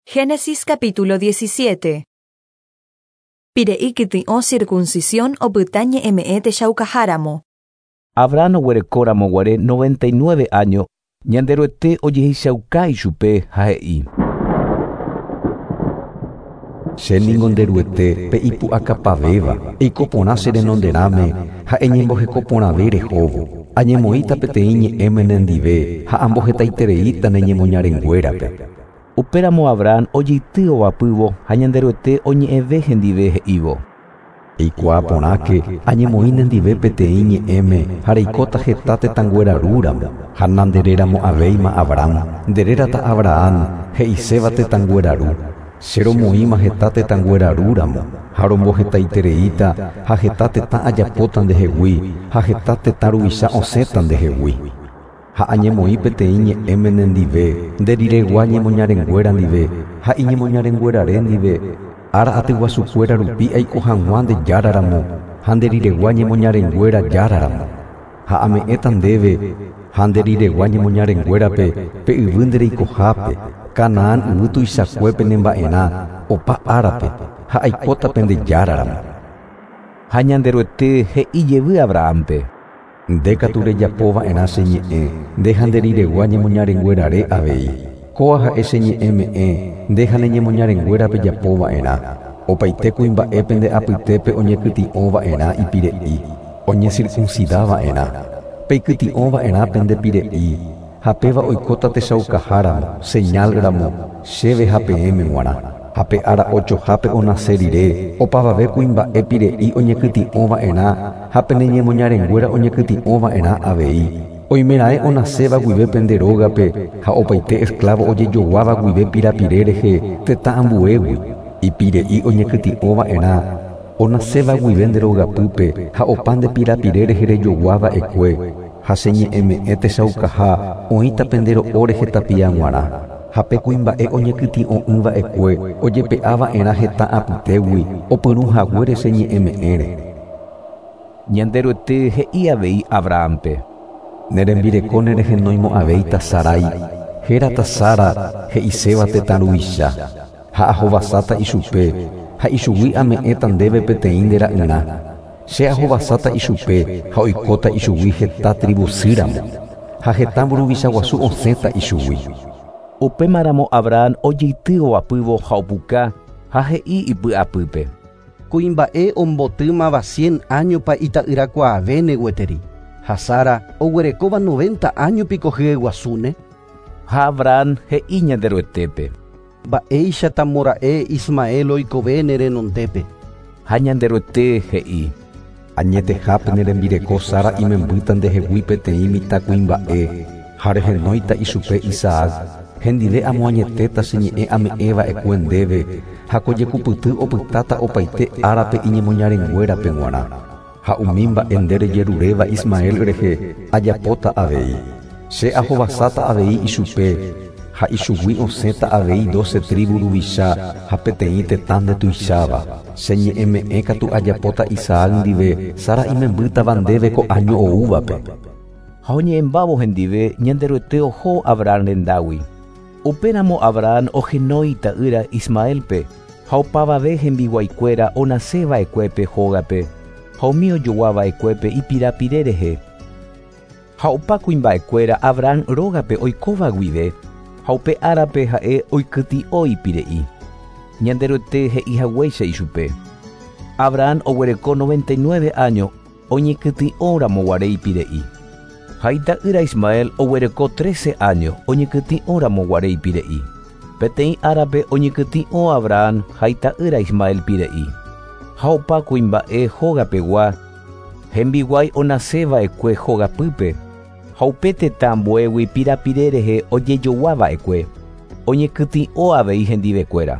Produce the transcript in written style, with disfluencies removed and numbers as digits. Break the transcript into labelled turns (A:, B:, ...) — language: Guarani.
A: Génesis capítulo 17. Pire'i kytĩ'o circuncisión opyta ñe'ẽme'ẽ techaukaháramo.
B: Abraham oguerekóramo guare 99 año, Ñanderuete ojehechauka ichupe ha he'i.
C: Che ningo nde Ruete pe ipu'akapavéva, eiko porã che renonderãme ha eñemboheko porãve rehóvo. Añemoĩta peteĩ ñe'ẽme nendive ha ambohetaitereíta ne ñemoñarenguérape.
B: Upéramo Abraham ojeity ovapývo ha Ñanderuete oñe'ẽve hendive he'ívo.
C: Eikuaa porãke, añemoĩ nendive peteĩ ñe'ẽme ha reikóta heta tetãnguéra rúramo, ha nandereramo'ãvéima Abram, nderérata Abraham, he'iséva tetãnguéra ru. Che romoĩma heta tetãnguéra rúramo, ha rombohetaitereíta ha heta tetã ajapóta ndehegui ha heta tetã ruvicha osẽta ndehegui. Ha añemoĩ peteĩ ñe'ẽme nendive, nde riregua ñemoñarenguéra ndive ha iñemoñarenguérare ndive, ára atyguasukuéra rupi aiko hag̃ua nde járaramo ha nde riregua ñemoñarenguéra járaramo. Ha ame'ẽta ndéve ha nde riregua ñemoñarenguérape pe yvy nde reikohápe, Canaán yvy tuichakuépe nemba'erã opa árape ha aikóta pende járaramo.
B: Ha Ñanderuete he'i jevy Abrahampe.
C: Nde katu rejapo va'erã che ñe'ẽ, nde ha nde riregua ñemoñarenguérare avei. Kóa ha'e che ñe'ẽ me'ẽ, nde ha ne ñemoñarenguéra pejapo va'erã. Opaite kuimba'e pende apytépe oñekytĩ'o va'erã ipire'i, oñecircuncida va'erã. Peikytĩ'o va'erã pende pire'i, ha péva oikóta techaukaháramo, señal ramo, chéve ha peẽme g̃uarã. Ha pe ára ochohápe onase rire, opavave kuimba'e pire'i oñekytĩ'o va'erã ha pene ñemoñarenguéra oñekytĩ'o va'erã avei. Oimeraẽ onaséva guive pende rógape ha opaite esclavo ojejoguáva guive pirapire rehe tetã ambuégui, ipire'i oñekytĩ'o va'erã, onaséva guive nde rogapýpe ha opa nde pirapire rehe rejogua va'ekue, ha che ñe'ẽme'ẽ techaukaha oĩta pende ro'o rehe tapia g̃uarã. Ha pe kuimba'e oñekytĩ'o'ỹ va'ekue ojepe'a va'erã heta apytégui opyrũ haguére che ñe'ẽme'ẽre.
B: Ñanderuete he'i avei Abrahampe.
C: Ne rembireko nerehenoimo'ãvéita Sarai, hérata Sara, he'iséva tetã ruvicha. Ha ahovasáta ichupe, ha ichugui ame'ẽta ndéve peteĩ nde ra'yrã. Che ahovasáta ichupe ha oikóta ichugui heta tribusýramo, ha heta mburuvicha guasu osẽta ichugui.
B: Upémaramo Abraham ojeity ovapývo ha opuka ha he'i ipy'apýpe.
D: Kuimba'e ombotýmava 100 áñopa ita'yrakuaavéne gueteri, ha Sara oguerekóva 90 áño piko hyeguasúne.
B: Ha Abraham he'i Ñanderuetépe.
D: Mba'éichatamora'e Ismael oikovéne renondépe.
B: Ha Ñanderuete he'i.
C: Añetehápe ne rembireko Sara imembýta ndehegui peteĩ mitãkuimba'e ha rehenóita ichupe Isaac, hendive amoañetéta che ñe'ẽ ame'ẽva'ekue ndéve ha ko jekupyty opytáta opaite árape iñemoñarenguérape g̃uarã. Ha umi mba'e nde rejeruréva Ismael rehe ajapóta avei. Che ahovasáta avei ichupe ha ichugui osẽta avei 12 tribu ruvicha ha peteĩ tetã ndetuicháva. Che ñe'ẽme'ẽ katu ajapóta Isaac ndive Sara imembýtava ndéve ko año oúvape.
B: Ha oñe'ẽmbávo hendive Ñanderuete oho Abraham rendágui. Upéramo Abraham ohenói ta'ýra Ismaelpe ha opavave hembiguaikuéra onaseva'ekuépe hógape ha umi ojoguava'ekuépe ipirapire rehe. Ha opa kuimba'ekuéra Abraham rógape oikóva guive ha upe árape ha'e oikytĩ'o ipire'i. Ñanderuete he'i haguéicha ichupe. Abraham oguereko 99 año oñekytĩ'óramo guare ipire'i. Ha ita'ýra Ismael oguereko 13 año oñekytĩ'óramo guare ipire'i. Peteĩ árape oñekytĩ'o Abraham ha ita'ýra Ismael pire'i. Ha opa kuimba'e hógapegua, hembiguái onaseva'ekue hógapýpe, ha upe tetã ambuégui pirapire rehe ojejoguava'ekue, oñekytĩ'o avei hendivekuéra.